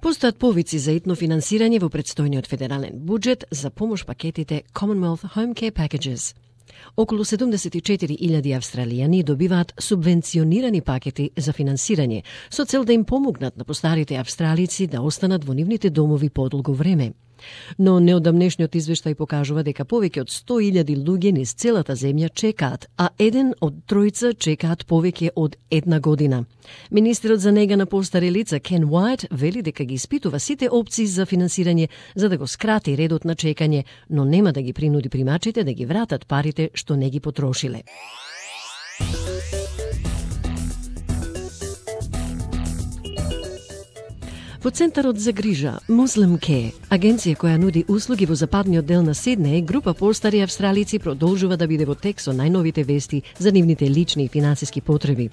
Постојат повици за итно финансирање во претстојниот федерален буџет за помош пакетите Commonwealth Home Care Packages. Околу 74.000 австралијани добиваат субвенционирани пакети за финансирање, со цел да им помогнат на постарите австралици да останат во нивните домови подолго време. Но неодамнешниот извештај покажува дека повеќе од 100.000 луѓе низ целата земја чекаат, а еден од тројца чекаат повеќе од една година. Министерот за нега на постари лица Ken Wyatt вели дека ги испитува сите опции за финансирање за да го скрати редот на чекање, но нема да ги принуди примачите да ги вратат парите што не ги потрошиле. Во Центарот за грижа Muslim Care, агенција која нуди услуги во западниот дел на Сиднеј, група постари австралици продолжува да биде во тек со најновите вести за нивните лични и финансиски потреби.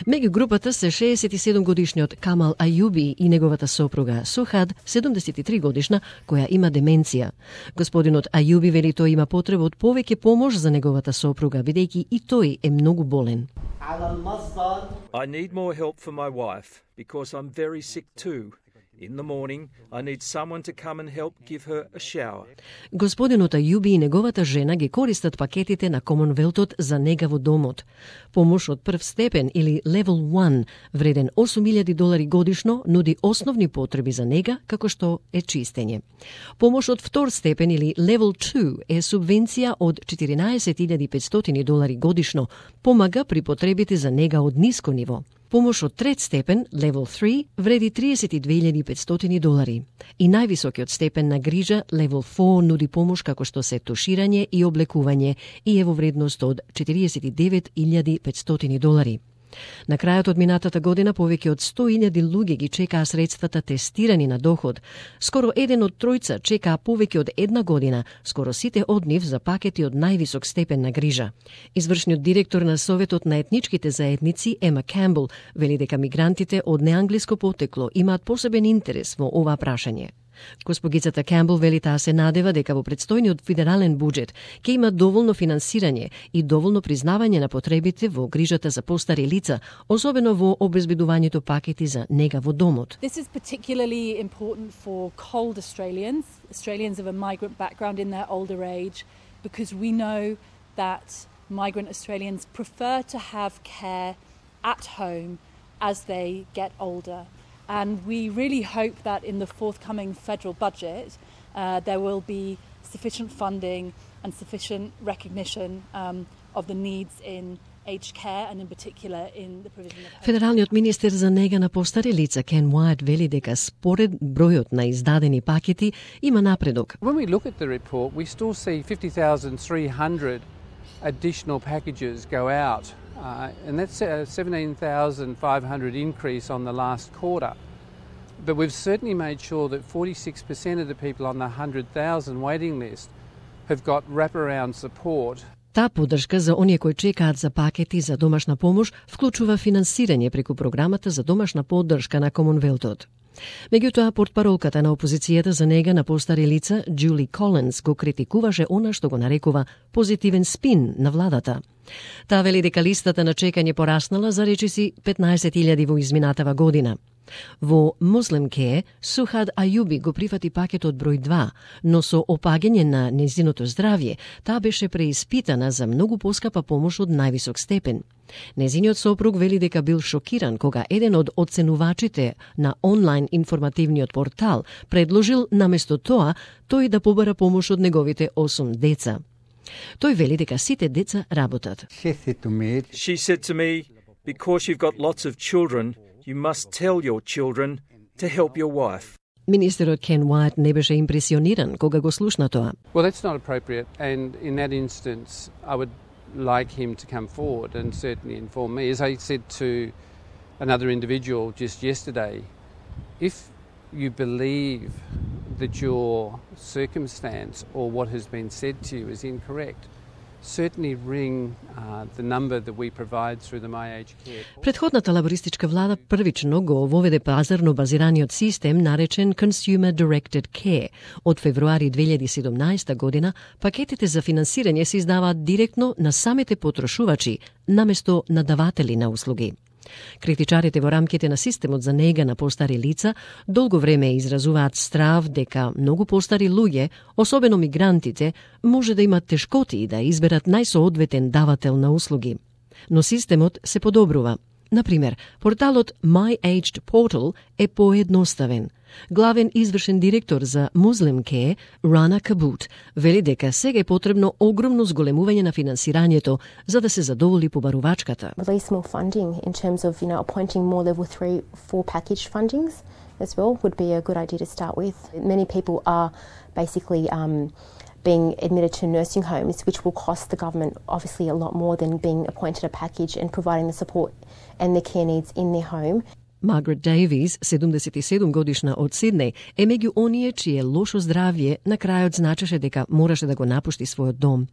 Меѓу групата се 67-годишниот Камал Аюби и неговата сопруга Сухад, 73 годишна, која има деменција. Господинот Аюби вели тој има потреба од повеќе помош за неговата сопруга, бидејќи и тој е многу болен. I need more help for my wife because I'm very sick too. In the morning, I need someone to come and help give her a shower. Господинот Аюби и неговата жена ги користат пакетите на Комонвелтот за нега во домот. Помош од прв степен или Level 1, вреден $8,000 годишно, нуди основни потреби за нега, како што е чистење. Помош од втор степен или Level 2 е субвенција од $14,500 годишно, помага при потребите за нега од ниско ниво. Помош од трет степен, Level 3, вреди $32,500. И највисокиот степен на грижа, Level 4, нуди помош како што се туширање и облекување и е во вредност од $49,500. На крајот од минатата година повеќе од 100.000 луѓе ги чекаа средствата тестирани на доход. Скоро еден од тројца чекаа повеќе од една година, скоро сите од нив за пакети од највисок степен на грижа. Извршниот директор на Советот на етничките заедници Ема Кембл вели дека мигрантите од неанглиско потекло имаат посебен интерес во ова прашање. Госпогицата Кембл вели таа се надева дека во претстојниот федерален буџет ќе има доволно финансирање и доволно признавање на потребите во грижата за постари лица, особено во обезбедувањето пакети за нега во домот. This is particularly important for cold Australians of a migrant background in their older age, because we know that migrant Australians prefer to have care at home as they get older. And we really hope that in the forthcoming federal budget there will be sufficient funding and sufficient recognition of the needs in aged care and in particular in the provision of... Федералниот министер за нега на постари лица Ken Wyatt вели дека според бројот на издадени пакети има напредок. When we look at the report, we still see 50,300 additional packages go out. And that's a 17,500 increase on the last quarter. But we've certainly made sure that 46% of the people on the 100,000 waiting list have got wraparound support. Таа поддршка за оние кои чекаат за пакети за домашна помош вклучува финансирање преку програмата за домашна поддршка на Комонвелтот. Меѓутоа, портпаролката на опозицијата за нега на постари лица, Джули Колинс, го критикуваше она што го нарекува позитивен спин на владата. Таа вели дека листата на чекање пораснала за речиси 15.000 во изминатава година. Во Muslim Care, Сухад Аюби го прифати пакетот број 2, но со опагање на нејзиното здравје, таа беше преиспитана за многу поскапа помош од највисок степен. Нејзиниот сопруг вели дека бил шокиран кога еден од оценувачите на онлайн информативниот портал предложил наместо тоа тој да побара помош од неговите 8 деца. Тој вели дека сите деца работат. She said to me, because you've got lots of children, you must tell your children to help your wife. Министерот Ken Wyatt не беше импресиониран кога го слушна тоа. Well, that's not appropriate, and in that instance, I would like him to come forward and certainly inform me. As I said to another individual just yesterday, if you believe that your circumstance or what has been said to you is incorrect, certainly ring the number that we provide through the My Aged Care. Претходната лабористичка влада првично го воведе пазарно базираниот систем наречен Consumer Directed Care. Од февруари 2017 година пакетите за финансирање се издаваат директно на самите потрошувачи, наместо на даватели на услуги. Критичарите во рамките на системот за нега на постари лица долго време изразуваат страв дека многу постари луѓе, особено мигрантите, може да имат тешкоти да изберат најсоодветен давател на услуги. Но системот се подобрува. Например, порталот My Aged Portal е поедноставен. Главен извршен директор за Muslim Care, Rana Kabut, вели дека сега е потребно огромно зголемување на финансирањето за да се задоволи побарувачката. Release more funding in terms of, appointing more level 3, 4 package fundings as well would be a good idea to start with. Many people are basically being admitted to nursing homes, which will cost the government obviously a lot more than being appointed a package and providing the support and the care needs in their home. Margaret Davies, 77 годишна од Сиднеј, е меѓу оние чие лошо здравје на крајот значеше дека мораше да го напушти својот дом.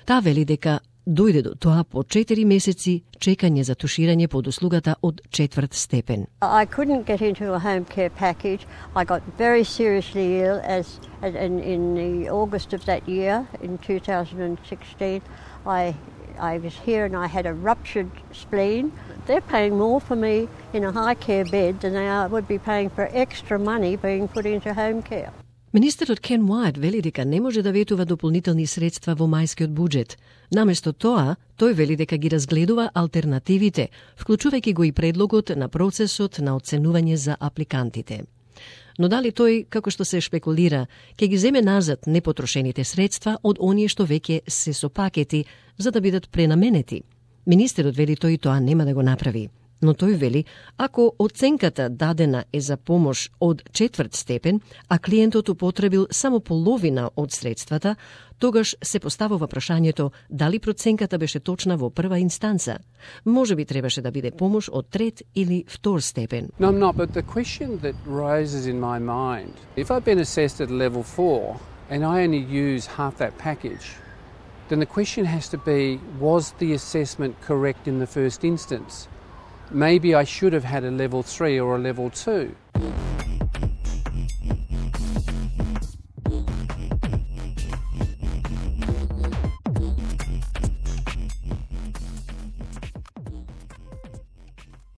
Таа вели дека дојде до тоа по 4 месеци чекање за туширање под услугата од 4 степен. I couldn't get into a home care package. I got very seriously ill in the August of that year, in 2016. I was here and I had a ruptured spleen. They're paying more for me in a high care bed than they would be paying for extra money being put into home care. Министерот Кен Уајт вели дека не може да ветува дополнителни средства во мајскиот буџет. Наместо тоа, тој вели дека ги разгледува алтернативите, вклучувајќи го и предлогот на процесот на оценување за апликантите. Но дали тој, како што се шпекулира, ќе ги земе назад непотрошените средства од оние што веќе се со пакети за да бидат пренаменети? Министерот вели тој тоа нема да го направи. Но тој вели, ако оценката дадена е за помош од 4 степен, а клиентот употребил само половина од средствата, тогаш се поставува прашањето дали проценката беше точна во прва инстанца. Може би требаше да биде помош од 3 или 2 степен. No, I'm not, but the question that rises in my mind, if I've been assessed at level 4 and I only use half that package, then the question has to be, was the assessment correct in the first instance? Maybe I should have had a level 3 or a level 2.